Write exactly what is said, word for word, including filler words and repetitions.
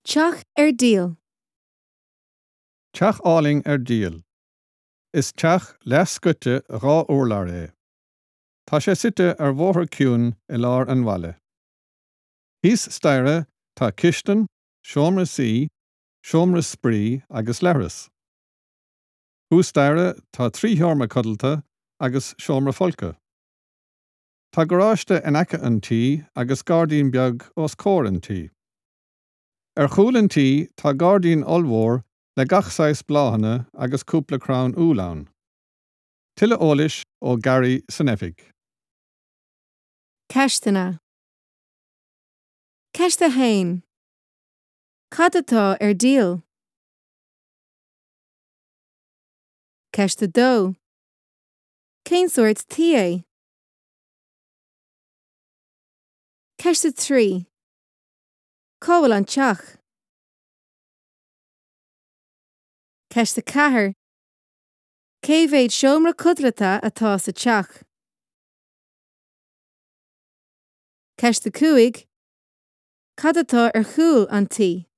Teach ar díol. Teach álainn ar díol. Is teach leathscoite dhá urlár é. Tá sé suite ar bhóthar ciúin i lár an bhaile. Thíos staighre tá cistin, seomra suí, seomra spraoi agus leithreas. Thuas staighre tá trí sheomra codlata agus seomra folctha. Tá garáiste in aice an tí agus gairdín beag os comhair an tí. Ar chúl an tí tá gairdín ollmhór le gach saghas bláthanna agus cúpla crann úll ann. Tuilleadh eolais ó Gary san oifig. Ceisteanna. Ceist a haon. Cad atá ar díol? Ceist a dó. Cén sórt tí é? Ceist a trí. Cá bhfuil an teach? Ceist a ceathair. Cé mhéad seomra codlata atá sa teach? Ceist a cúig. Cad atá ar chúl an tí?